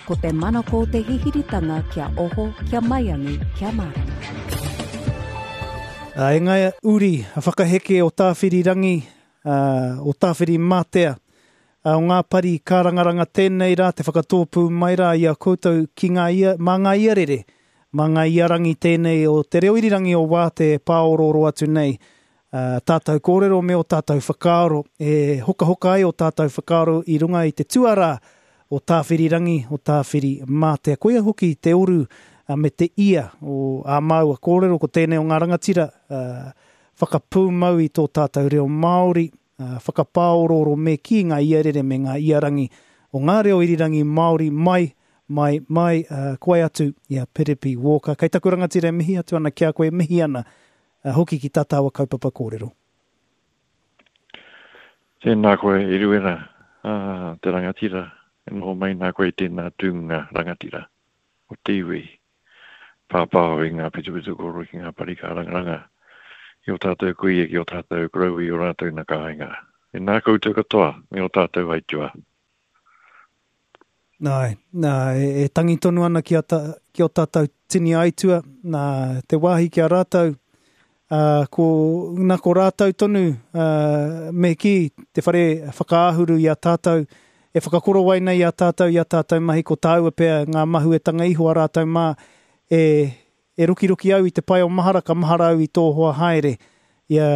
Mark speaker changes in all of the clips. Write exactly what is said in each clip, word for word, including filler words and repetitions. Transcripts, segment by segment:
Speaker 1: Ko te manako o te hihiritanga kia oho, kia maiangi, kia mārama.
Speaker 2: E ngā uri a whakaheke o Tāwhirirangi, o Tāwhirimātea, o ngā pari kārangaranga tēnei rā te whakatōpū mai rā i a koutou ki ngā ia, mā ngā iarere, mā ngā iarangi tēnei o te reo irirangi o Wāte e pāorooro atu nei. Uh, tātou kōrero me o tātou whakaaro, e hokahoka ai o tātou whakaaro i runga i te tuarā o Tāwhirirangi, o Tāwhirimātea. Koia hoki te oru uh, me te ia o ā māua kōrero, ko tēnei o ngā rangatira uh, whakapūmau i tō tātou reo Māori, uh, whakapāorooro me ki ngā iarere me ngā iarangi o ngā reo irirangi Māori mai, mai, mai, uh, koe atu i a Piripi Walker. Kei taku rangatira e mihi atu ana ki a koe, mihi ana uh, hoki ki tā tāua kaupapa kōrero.
Speaker 3: Tēnā koe, Eruera, uh, te rangatira, e noho mai nā koe tēnā tūnga rangatira o te iwi. Pāpāo i ngā pitupitu kōrero ki ngā pari kārangaranga i o tātou kuia ki o tātou koroua i o rātou nā kāinga. E nā koutou katoa me o tātou aitua.
Speaker 2: Nā, nā, e, e tangi tonu ana ki, a ta, ki o tātou tini aitua, nā, te wāhi ki a rātou, uh, ko, nā ko rātou tonu, uh, me ki te whare whakaahuru i a tātou, e whakakorowai nei i a tātou, i a tātou mahi, ko tāua pea ngā mahuetanga iho a rātou mā, e, e rokiroki au i te pae o mahara, ka mahara au i tō hoa haere, i, a,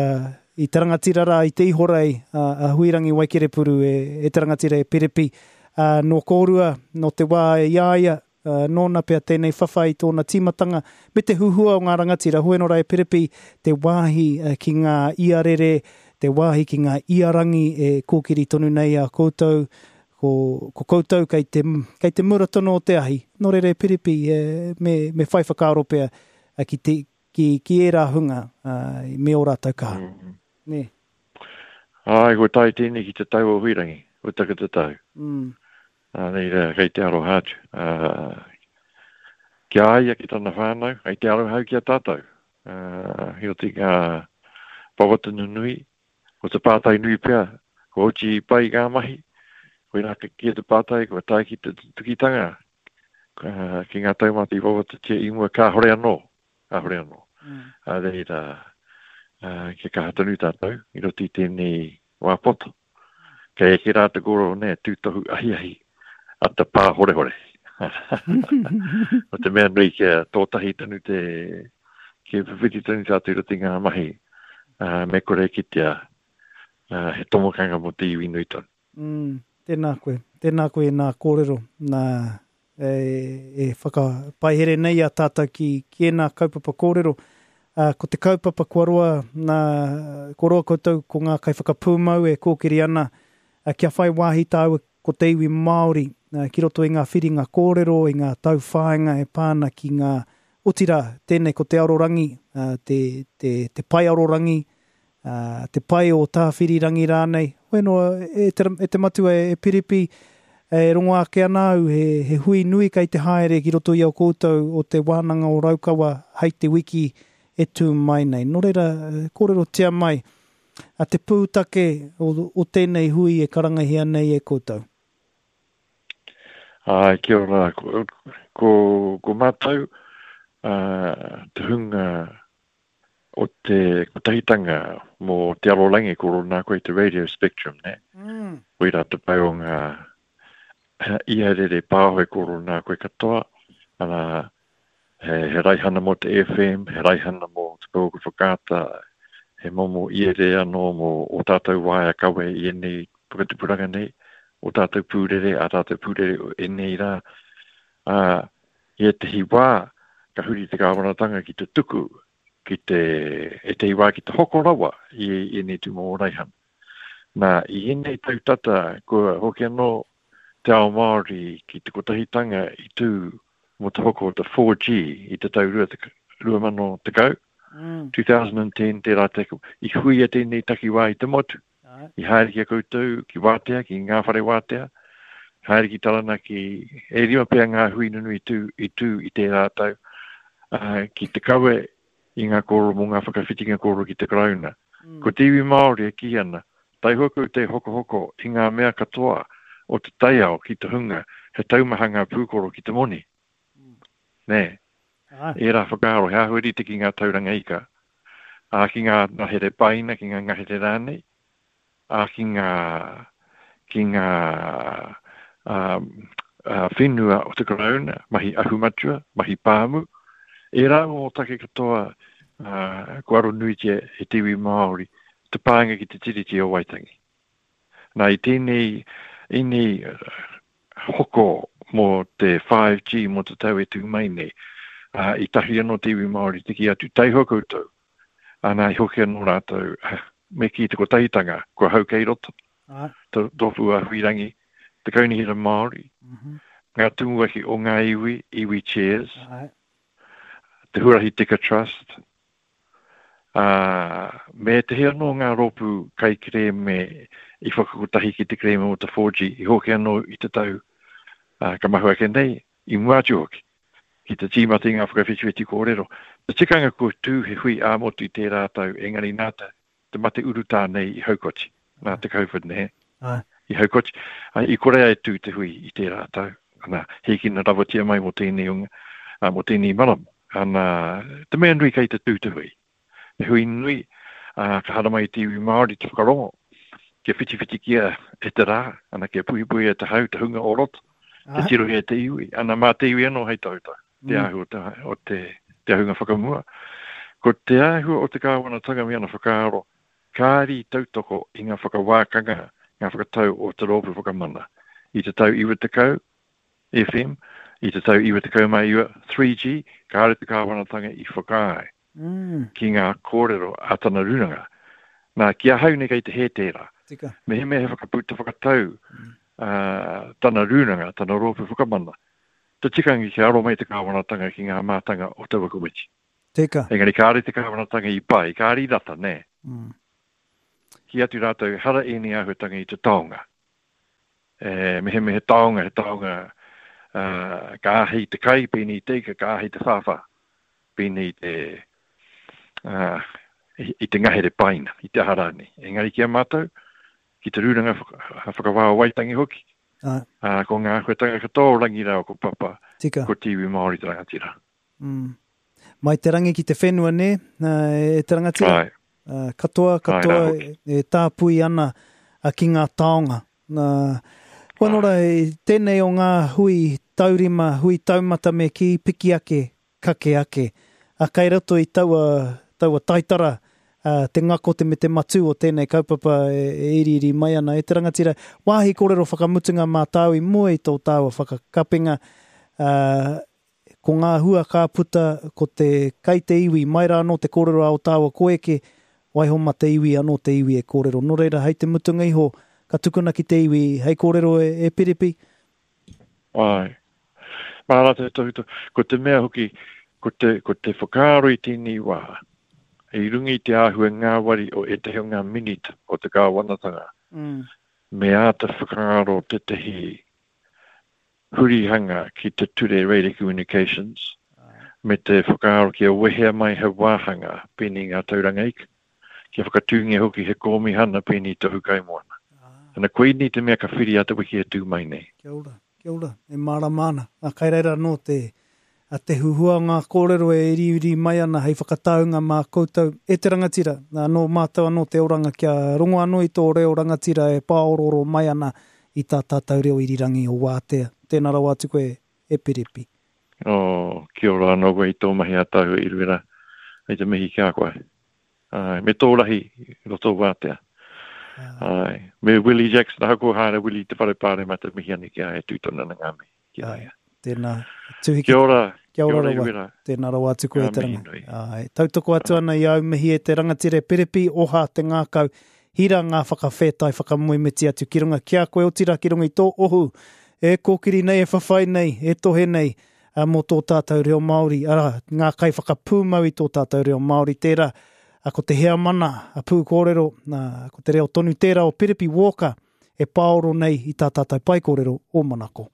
Speaker 2: i te rangatira rā, i te ihorei, a, a Huirangi Waikerepuru e, e te rangatira e Piripi, uh, nō kōrua, nō te wā e iaia, uh, nōna pea tēnei whawhai i tōna tīmatanga, me te huhua o ngā rangatira, hoeno rā e Piripi, te wāhi uh, ki ngā iarere, te wāhi ki ngā iarangi e kōkiri tonu nei a koutou, ko, ko koutou kei te, kei te mura tonu o te ahi. Nō reira e Piripi, e, me, me whai whakaaro pea ki, te, ki, ki ērā hunga uh, me o rātou kaha. Mm -hmm. Nē.
Speaker 3: Ai, ko tai tēnei ki te tau o Huirangi, o taka te tau. Mm. Nā reira, kei te aroha atu. Uh, ki a ia ki tana whānau, kei te aroha ki a tātou. Uh, i oti ngā wawata nunui, ko te pātai nui pea, ko oti pai ngā mahi, koe rā ki te pātai, ko tae ki te tukitanga, uh, ki ngā taumata i wawatatia i mua, kāhore anō, kāhore anō. Mm. A reira, uh, kia kaha tonu tātou, i roto i tēnei wā poto. Kei eke rā te kōrero, nē, tūtohu ahiahi, a te pā horehore. O te mea nui kia tōtahi tonu te, kia whiwhiti tonu tātou i roto i ngā mahi, uh, me kore kitea, uh, he tomokanga mō te iwi nui tonu.
Speaker 2: Mm, tēnā koe, tēnā koe nā kōrero, nā e, e whakapaihere nei a tātou ki, ki ēnā kaupapa kōrero. Uh, ko te kaupapa kua roa, nā, kua roa koutou ko ngā kaiwhakapūmau e kōkiri ana, uh, kia whai wāhi tāua ko te iwi Māori, uh, ki roto i ngā whiringa kōrero, i ngā tauwhāinga e pāna ki ngā, otirā, tēnei ko te arorangi, uh, te, te, te pai arorangi, uh, te pai o Tāwhirirangi rānei. Hoeno, e te, e te matua e Piripi, e rongo ake ana au, he, he hui nui kei te haere ki roto i a koutou o te wānanga o Raukawa hei te wiki e tū mai nei. Nō reira, kōrerotia mai, a te pūtake o, o tēnei hui e karangahia nei e koutou.
Speaker 3: Ai, kia ora, ko, ko, ko mātou, uh, te hunga o te kotahitanga mō te arorangi, ko rōnā koe te radio spectrum, ne? Mm. Koira te pai o ngā iarere pāho e ko rōnā koe katoa, ana, he, he raihana mō te F M, he raihana mō te pouaka whakaata, he momo iere anō mō o tātou waea kawe i ēnei whakatupuranga nei, o tātou pūrere, a tātou pūrere o ēnei rā. Ā, i ētehi wā, ka huri te kāwanatanga ki te tuku, ki te, ētehi wā ki te hoko rawa i ēnei tūmomo raihana. Nā, i ēnei tau tata, kua hoki anō te ao Māori ki te kotahitanga i tū mō te hoko o te four G i te tau rua mano tekau, mm. two thousand ten, tērā te, i huia tēnei takiwā i te motu. I haere ki a koutou, ki Wātea, ki ngā whare Wātea, haere ki Taranaki, e rima pea ngā hui nunui i tū, i tū i tērā tau, uh, ki te kawe i ngā kōrero mō ngā whakawhitinga kōrero ki te Karauna. Mm. Ko te iwi Māori e kī ana, taihoa koutou hokohoko i ngā mea katoa o te taiao ki te hunga he taumaha ngā pūkoro ki te moni. Mm. Nē. Ah. Ērā whakaaro, he āhua rite ki ngā tauranga ika, ā, ki ngā ngahere paina, ki ngā ngahere rānei, ā, ki ngā, ki ngā um, uh, whenua o te Karauna, mahi ahumatua, mahi pāmu. Ērā o take katoa uh, kua aronuitia e te iwi Māori, te pānga ki te Tiriti o Waitangi. Nā, i tēnei, ēnei hoko mō te five G, mō te tau e tū mai nei, uh, i tahi anō te iwi Māori te ki atu, taihoa koutou. Ana, i hoki anō rātou, me ki te kotahitanga, kua hau kei roto, ah. te rōpū a Huirangi, te Kaunihera Māori, mm -hmm. ngā tumuaki o ngā iwi, iwi chairs, ah. te Huarahi Tika Trust, uh, me te he anō ngā rōpū kaikerēme i whakakotahi ki te kerēme o te four G, i hoki anō i te tau uh, ka mahu ake nei, i mua atu hoki, ki te tīmata i ngā whakawhitiwhiti kōrero. Te tikanga ko tū he hui ā-motu i tērā tau, engari nā te, te mate urutā nei i haukoti, nā te COVID nei, i haukoti. I kore ai tū te hui i tērā tau. Ana, hīkina rawatia mai mō tēnei unga, mō tēnei marama. Ana, te mea nui kei te tū te hui. Te hui nui, uh, ka haramai te iwi Māori te whakarongo, kia whitiwhitikia e te rā, ana kia puhipuhi e te hau, te hunga o roto, te tirohia e te iwi. Ana mā te iwi anō hei tautau, te mm. āhua te, o te, te ahunga whakamua. Ko te āhua o te kāwanatanga me ana whakaaro, kāri tautoko i ngā whakawākanga, ngā whakatau o te rōpū whakamana. I te tau iwa tekau, F M, i te tau iwa tekau mā iwa, three G, kāre te kāwanatanga i whakaae mm. ki ngā kōrero a tana rūnanga. Nā, ki ahau nei kei te hē tērā.
Speaker 2: Tika.
Speaker 3: Me he mea he whakaputa whakatau mm. uh, tana rūnanga, tana rōpū whakamana. Te tikanga ki aro mai te kāwanatanga ki ngā mātanga o taua komiti.
Speaker 2: Tika.
Speaker 3: Engari kāre te kāwanatanga i pai, kāre i rata, nē.
Speaker 2: Mm.
Speaker 3: Ki atu rātou, hara ēnei āhuatanga i te taonga. E, me he me he taonga, he taonga uh, ka āhei te kai, pēnei te ika, ka āhei te whāwhā, pēnei te, uh, i, i te ngahere paina, i te aha rānei. Engari ki a mātou, ki te rūnanga whakawā o Waitangi hoki,
Speaker 2: ah.
Speaker 3: uh, ko ngā āhuatanga katoa o Rangi rāua ko Papa,
Speaker 2: Tika.
Speaker 3: Ko te iwi Māori te rangatira.
Speaker 2: Mm. Mai te rangi ki te whenua, nē, e te rangatira?
Speaker 3: Ai.
Speaker 2: Uh, katoa, katoa
Speaker 3: Ai, rā,
Speaker 2: e, e tāpui ana uh, ki ngā taonga. Uh, koa nora, tēnei o ngā hui taurima, hui taumata me ki piki ake, kake ake. Uh, kai roto i taua, taua taitara, uh, te ngako te me te matū o tēnei kaupapa e, e iriiri mai ana. E te rangatira, wāhi kōrero whakamutunga mā tāu i mua i tō tāua whakakapinga, uh, ko ngā hua ka puta, ko te kai te iwi, mai rā anō te kōrero a o tāua koeke, waiho ma te iwi anō te iwi e kōrero. Nō reira, hei te mutunga iho, ka tukuna ki te iwi, hei kōrero e, e Piripi.
Speaker 3: Ai. Mā rātou tohutohu. Ko te mea hoki, ko te, ko te whakaaro i tēnei wā, i runga i te āhua ngāwari o ētahi o ngā minita o te kāwanatanga,
Speaker 2: mm.
Speaker 3: me āta whakaaro tētahi hurihanga ki te ture Radio Communications, me te whakaaro kia wehea mai he wāhanga pēnei ngā tauranga ika, kia whakatūngia hoki he kōmihana pēnei tohu kaimoana.
Speaker 2: Ah.
Speaker 3: Ana koinei te mea ka whiri a te wiki e tū mai nei.
Speaker 2: Kia ora, kia ora, e mārama ana. A kai reira anō te, a te huhua ngā kōrero e iriiri mai ana hei whakataunga mā koutou e te rangatira. Nā, nō mātou anō te oranga kia rongo anō i tō reo rangatira e pāororo mai ana i tā tātou reo irirangi o Wātea. Tēnā rawa atu koe e Piripi.
Speaker 3: Oh, kia ora anō koe i tō mahi a tāua i Ruera. Hei te mihi ki a koe. Ai, me tō rahi roto Wātea. Ai, me Willie Jackson, ahakoa haere Willie te whare pāremata mihi ane ki a e tūtona na ngā mihi ki a ia.
Speaker 2: Tēnā, tuhi ki
Speaker 3: Kia ora.
Speaker 2: Kia ora
Speaker 3: Kia ora,
Speaker 2: rawa.
Speaker 3: Ruera.
Speaker 2: Tēnā rawa atu koe
Speaker 3: Ngā
Speaker 2: e te
Speaker 3: mihi
Speaker 2: ranga.
Speaker 3: nui.
Speaker 2: Ai, tautoko atu ana i au mihi e te rangatira Piripi, oha te ngākau, hira ngā whakawhētai whakamoemiti atu ki runga ki a koe, otira ki runga i tō ohu, e kōkiri nei, e whawhai nei, e tohe nei, a, mō tō tātou reo Māori, arā, ngā kai whakapūmau i tō tātou reo Māori, tērā, a, ko te heamana, a pūkōrero, a, ko te reo tonu tērā o Piripi Walker, e pāoro nei i tā tātou paekōrero o Manako.